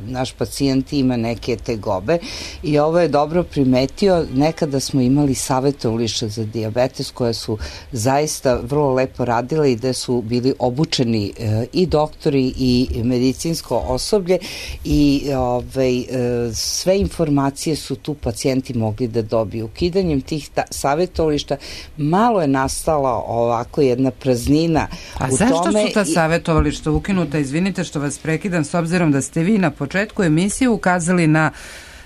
naš pacijent ima neke tegobe i ovo je dobro primetio. Nekada smo imali savjetovališta za dijabetes koje su zaista vrlo lepo radile i gde su bili obučeni i doktori i medicinsko osoblje i ovaj, sve informacije su tu pacijenti mogli da dobiju. Ukidanjem tih ta- savjetovališta malo je nastala ovako jedna praznina. A u zašto tome su ta i... savjetovališta ukinuta? Izvinite što vas prekidam, s obzirom da ste vi na početku emisije ukazali na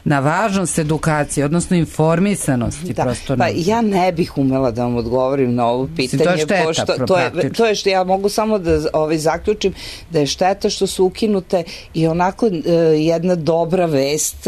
na važnost edukacije, odnosno informisanosti. Da, prosto pa ja ne bih umela da vam odgovorim na ovo pitanje. To je šteta, pošto, to, je, to je što ja mogu samo da ovaj, zaključim da je šteta što su ukinute i onako e, jedna dobra vest.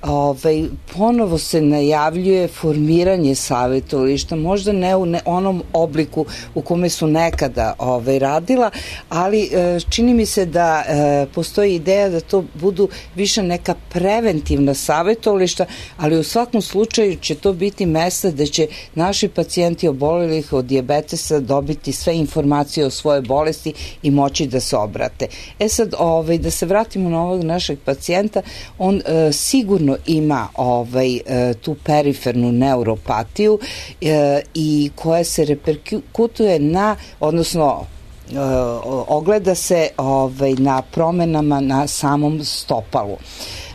Ovaj, ponovo se najavljuje formiranje savjetovališta, možda ne u ne, onom obliku u kome su nekada ovaj, radila, ali e, čini mi se da e, postoji ideja da to budu više neka preventivna savjetovališta, ali u svakom slučaju će to biti mesta da će naši pacijenti obolelih od dijabetesa dobiti sve informacije o svojoj bolesti i moći da se obrate. E sad, ovaj, da se vratimo na ovog našeg pacijenta, on e, sigurno ima ovaj, e, tu perifernu neuropatiju e, i koja se reperkutuje na, odnosno e, ogleda se ovaj, na promenama na samom stopalu.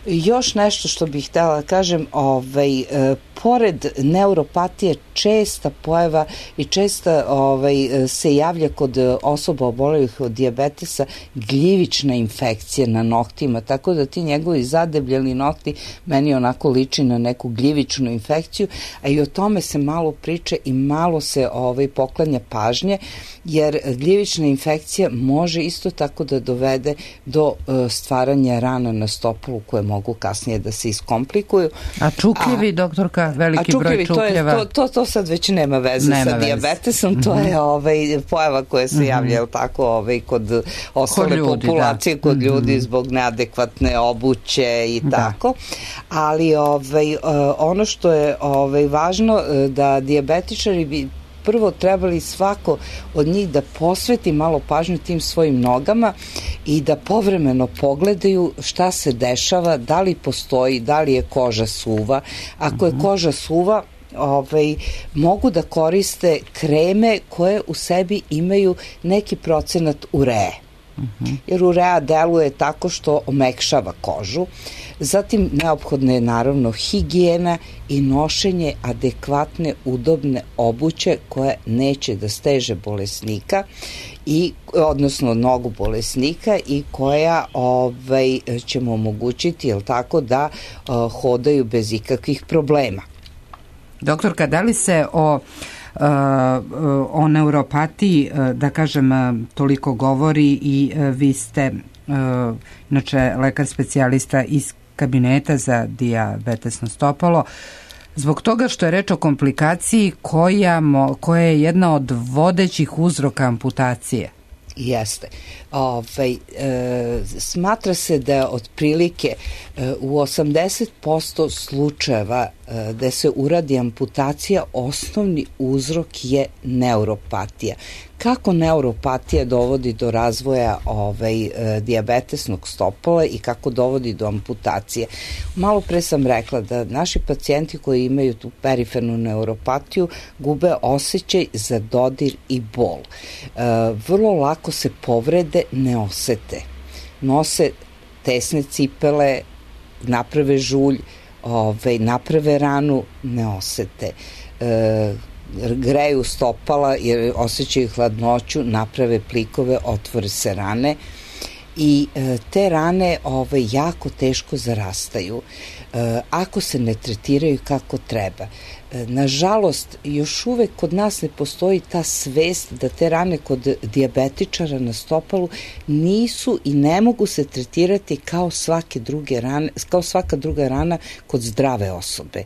Još nešto što bih htjela da kažem, ovaj, e, pored neuropatije česta pojava i česta ovaj, se javlja kod osoba obolelih od dijabetesa gljivična infekcija na noktima, tako da ti njegovi zadebljali nokti meni onako liči na neku gljivičnu infekciju, a i o tome se malo priča i malo se ovaj, poklanja pažnje, jer gljivična infekcija može isto tako da dovede do uh, stvaranja rana na stopalu koje mogu kasnije da se iskomplikuju. A čukljivi, a, doktorka, veliki a broj čukljeva? To, to, to sad već nema veze nema sa veze. dijabetesom, to mm-hmm. je ovaj, pojava koja se mm-hmm. javlja tako, ovaj, kod ostale kod ljudi, populacije, da. kod mm-hmm. ljudi zbog neadekvatne obuće i da. tako. Ali ovaj, ono što je ovaj, važno da dijabetičari bi prvo trebali svako od njih da posveti malo pažnju tim svojim nogama i da povremeno pogledaju šta se dešava, da li postoji, da li je koža suva. Ako je koža suva, ovaj, mogu da koriste kreme koje u sebi imaju neki procenat ureje. Uh-huh. Jer urea deluje tako što omekšava kožu. Zatim neophodna je naravno higijena i nošenje adekvatne udobne obuće koja neće da steže bolesnika i odnosno nogu bolesnika i koja ovaj, će mu omogućiti, jel tako, da uh, hodaju bez ikakvih problema. Doktorka, da li se o o neuropatiji, da kažem, toliko govori i vi ste inače lekar specijalista iz kabineta za dijabetesno stopalo, zbog toga što je reč o komplikaciji koja, koja je jedna od vodećih uzroka amputacije. Jeste. Ovaj, e, smatra se da otprilike e, u osamdeset posto slučajeva e, da se uradi amputacija, osnovni uzrok je neuropatija. Kako neuropatija dovodi do razvoja ovaj, e, dijabetesnog stopala i kako dovodi do amputacije? Malo pre sam rekla da naši pacijenti koji imaju tu perifernu neuropatiju gube osjećaj za dodir i bol. E, vrlo lako se povrede, ne osete. Nose tesne cipele, naprave žulj, ovaj, naprave ranu, ne osete. E, greju stopala jer osjećaju hladnoću, naprave plikove, otvore se rane i e, te rane ovaj, jako teško zarastaju. E, ako se ne tretiraju kako treba. Nažalost, još uvek kod nas ne postoji ta svest da te rane kod dijabetičara na stopalu nisu i ne mogu se tretirati kao svake druge rane, kao svaka druga rana kod zdrave osobe.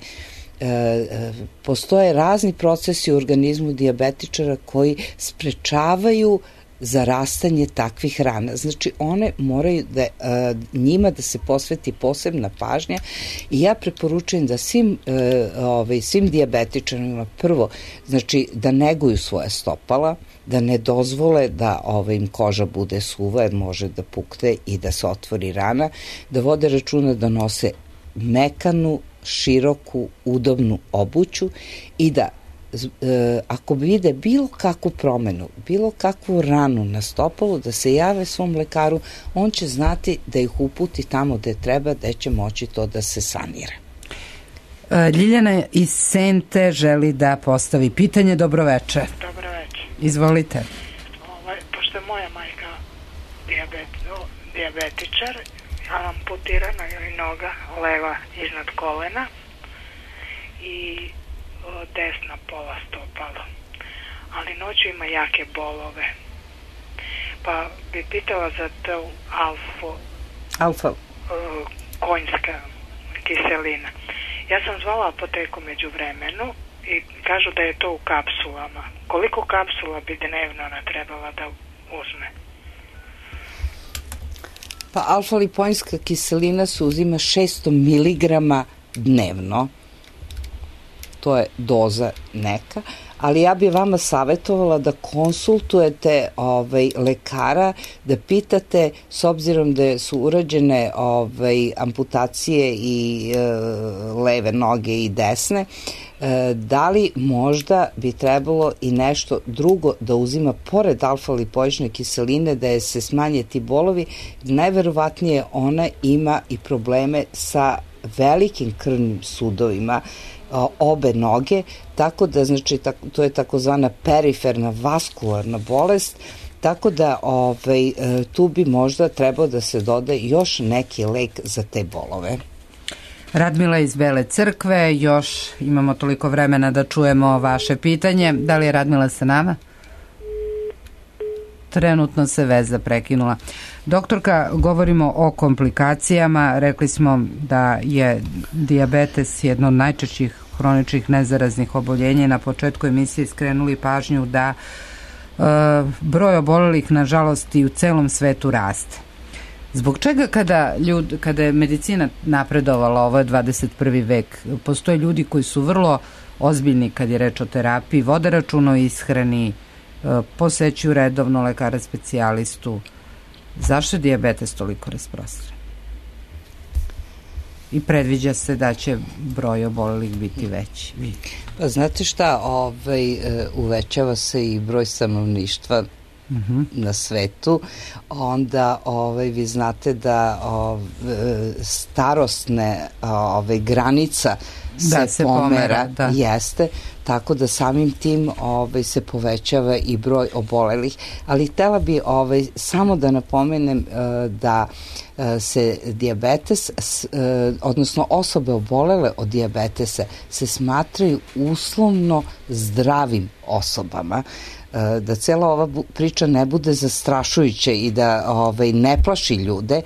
Postoje razni procesi u organizmu dijabetičara koji sprečavaju zarastanje takvih rana. Znači, one moraju da, a, njima da se posveti posebna pažnja i ja preporučujem da svim, a, ovaj, svim dijabetičarima prvo, znači, da neguju svoje stopala, da ne dozvole da ovaj, im koža bude suva jer može da pukne i da se otvori rana, da vode računa da nose mekanu, široku, udobnu obuću i da ako vide bilo kakvu promenu, bilo kakvu ranu na stopalu, da se jave svom lekaru, on će znati da ih uputi tamo gde treba, da će moći to da se sanira. Ljiljana iz Sente želi da postavi pitanje. Dobroveče. Dobroveče. Izvolite. Ovaj, pošto je moja majka dijabet, dijabetičar, amputirana joj noga leva iznad kolena i desna pola stopalo, ali noću ima jake bolove, pa bi pitala za to alfu alfa uh, konjska kiselina. Ja sam zvala apoteku među vremenu i kažu da je to u kapsulama. Koliko kapsula bi dnevno ona trebala da uzme? Pa alfa-lipoinska kiselina se uzima šesto miligrama dnevno. To je doza neka, ali ja bih vama savjetovala da konsultujete ovaj, lekara, da pitate, s obzirom da su urađene ovaj, amputacije i e, leve noge i desne, e, da li možda bi trebalo i nešto drugo da uzima pored alfa-lipoične kiseline, da je se smanje ti bolovi. Najverovatnije ona ima i probleme sa velikim krvnim sudovima, obe noge, tako da, znači, to je takozvana periferna vaskularna bolest, tako da ovaj, tu bi možda trebao da se doda još neki lek za te bolove. Radmila iz Bele Crkve, još imamo toliko vremena da čujemo vaše pitanje. Da li je Radmila sa nama? Trenutno se veza prekinula. Doktorka, govorimo o komplikacijama. Rekli smo da je dijabetes jedno od najčešćih hroničnih nezaraznih oboljenja. Na početku emisije skrenuli pažnju da e, broj obolelih, nažalost, i u celom svetu raste. Zbog čega kada, ljud, kada je medicina napredovala, ovo je dvadeset prvi vek, postoje ljudi koji su vrlo ozbiljni kad je reč o terapiji, vode računa o ishrani, posećuju redovno lekara specijalistu. Zašto je dijabetes toliko rasprostranjen? I predviđa se da će broj obolelih biti veći. Pa znate šta, ovaj, uvećava se i broj stanovništva uh-huh. na svetu, onda ovaj, vi znate da ovaj, starosne ovaj, granica se, da, se pomera, pomera da. Jeste, tako da samim tim ovaj, se povećava i broj obolelih, ali htela bi ovaj, samo da napomenem uh, da uh, se dijabetes, uh, odnosno osobe obolele od dijabetesa se smatraju uslovno zdravim osobama, da cela ova priča ne bude zastrašujuća i da ovaj, ne plaši ljude.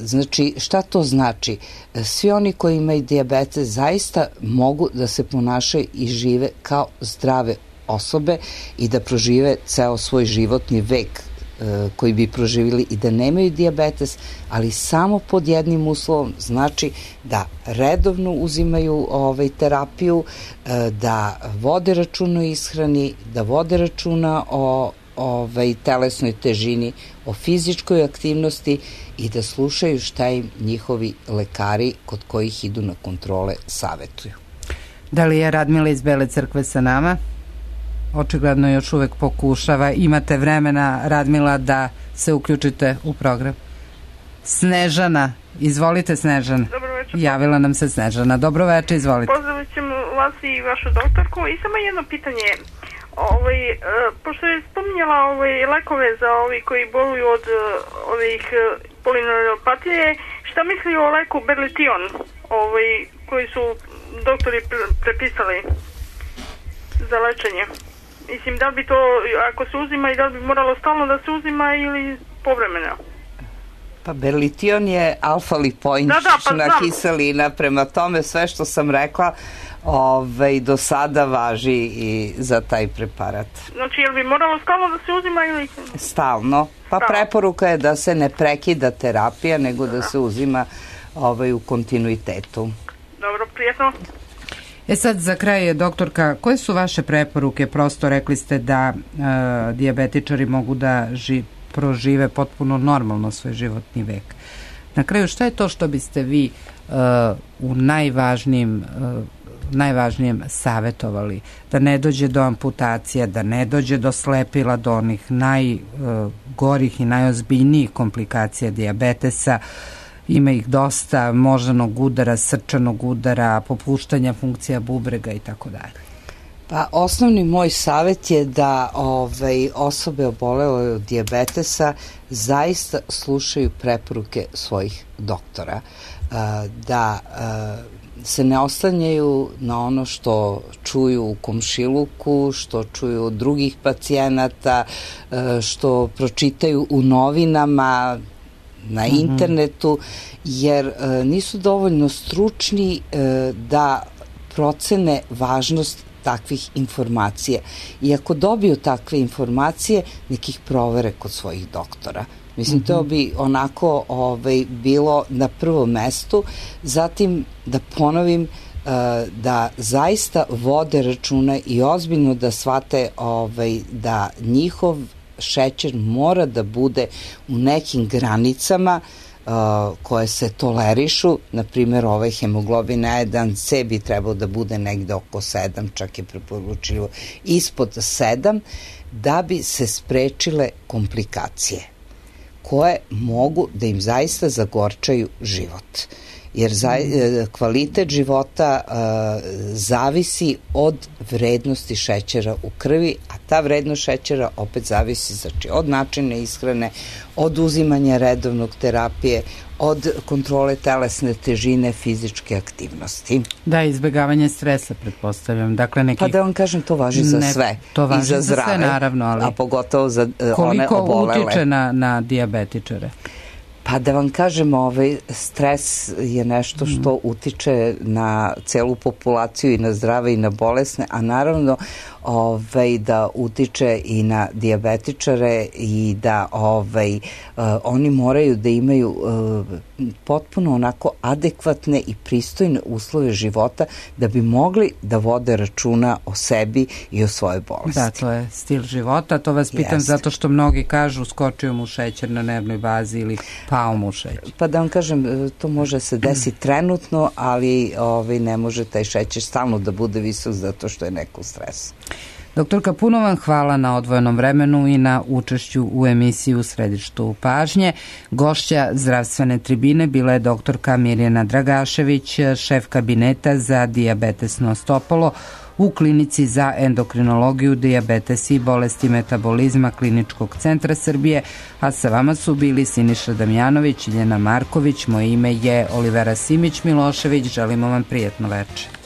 Znači, šta to znači? Svi oni koji imaju dijabetes zaista mogu da se ponašaju i žive kao zdrave osobe i da prožive ceo svoj životni vek koji bi proživjeli i da nemaju dijabetes, ali samo pod jednim uslovom, znači da redovno uzimaju ovaj, terapiju, da vode računa o ishrani, da vode računa o ovaj, telesnoj težini, o fizičkoj aktivnosti i da slušaju šta im njihovi lekari kod kojih idu na kontrole savetuju. Da li je Radmila iz Bele Crkve sa nama? Očigledno još uvek pokušava. Imate vremena, Radmila, da se uključite u program. Snežana, izvolite Snežana. Dobroveče. Javila nam se Snežana. Dobroveče, izvolite. Pozdravit ćemo vas i vašu doktorku. I samo jedno pitanje. Ovaj, uh, pošto je spominjala ovaj, lekove za ovi koji boluju od uh, ovih uh, polineuropatije, šta misli o leku Berlition, ovaj, koji su doktori prepisali za lečenje? Mislim, da li bi to, ako se uzima, i da li bi moralo stalno da se uzima ili povremeno? Pa Berlition je alfa-lipoična da, da, pa kiselina, prema tome sve što sam rekla Ove, do sada važi i za taj preparat. Znači, je li bi moralo stalno da se uzima ili... Stalno. Pa stalno. Preporuka je da se ne prekida terapija, nego da se uzima ovaj, u kontinuitetu. Dobro, prijetno. E sad, za kraj, doktorka, koje su vaše preporuke? Prosto rekli ste da e, dijabetičari mogu da ži, prožive potpuno normalno svoj životni vek. Na kraju, šta je to što biste vi e, u najvažnijim e, najvažnijem savjetovali? Da ne dođe do amputacija, da ne dođe do slepila, do onih najgorih i najozbiljnijih komplikacija dijabetesa. Ima ih dosta, moždanog udara, srčanog udara, popuštanja funkcija bubrega i tako dalje. Pa osnovni moj savjet je da ovaj, osobe obolele od dijabetesa zaista slušaju preporuke svojih doktora. Da se ne oslanjaju na ono što čuju u komšiluku, što čuju od drugih pacijenata, što pročitaju u novinama, na internetu, jer nisu dovoljno stručni da procene važnost takvih informacija. I ako dobiju takve informacije, nekih provere kod svojih doktora. Mislim, to bi onako ovaj, bilo na prvom mestu. Zatim, da ponovim, da zaista vode računa i ozbiljno da shvate ovaj, da njihov šećer mora da bude u nekim granicama uh, koje se tolerišu. Na primjer, ovaj hemoglobin A jedan C bi trebao da bude negde oko sedam, čak je preporučljivo ispod sedam, da bi se sprečile komplikacije koje mogu da im zaista zagorčaju život. Jer za, kvalitet života uh, zavisi od vrednosti šećera u krvi, a ta vrednost šećera opet zavisi znači, od načina ishrane, od uzimanja redovnog terapije, od kontrole telesne težine, fizičke aktivnosti. Da, izbjegavanje stresa, pretpostavljam. Dakle, neki... Pa da vam kažem, to važi za ne, sve. To važi i za, za zdrave, sve, naravno, ali... A pogotovo za uh, one obolele. Koliko utiče na, na dijabetičare? Pa da vam kažem, ovaj, stres je nešto što utiče na celu populaciju i na zdrave i na bolesne, a naravno ovaj, da utiče i na dijabetičare i da ovaj, uh, oni moraju da imaju uh, potpuno onako adekvatne i pristojne uslove života da bi mogli da vode računa o sebi i o svojoj bolesti. Da, to je stil života. To vas pitam Jeste. Zato što mnogi kažu skočio mu šećer na nervnoj bazi ili pao mu šećer. Pa da vam kažem, to može se desiti trenutno, ali ovaj, ne može taj šećer stalno da bude visok zato što je neko u stresu. Doktorka, puno vam hvala na odvojenom vremenu i na učešću u emisiji U središtu pažnje. Gošća zdravstvene tribine bila je doktorka Mirjana Dragašević, šef kabineta za dijabetesno stopalo u klinici za endokrinologiju, dijabetes i bolesti metabolizma Kliničkog centra Srbije, a sa vama su bili Siniša Damjanović i Ljena Marković. Moje ime je Olivera Simić Milošević. Želimo vam prijatno večer.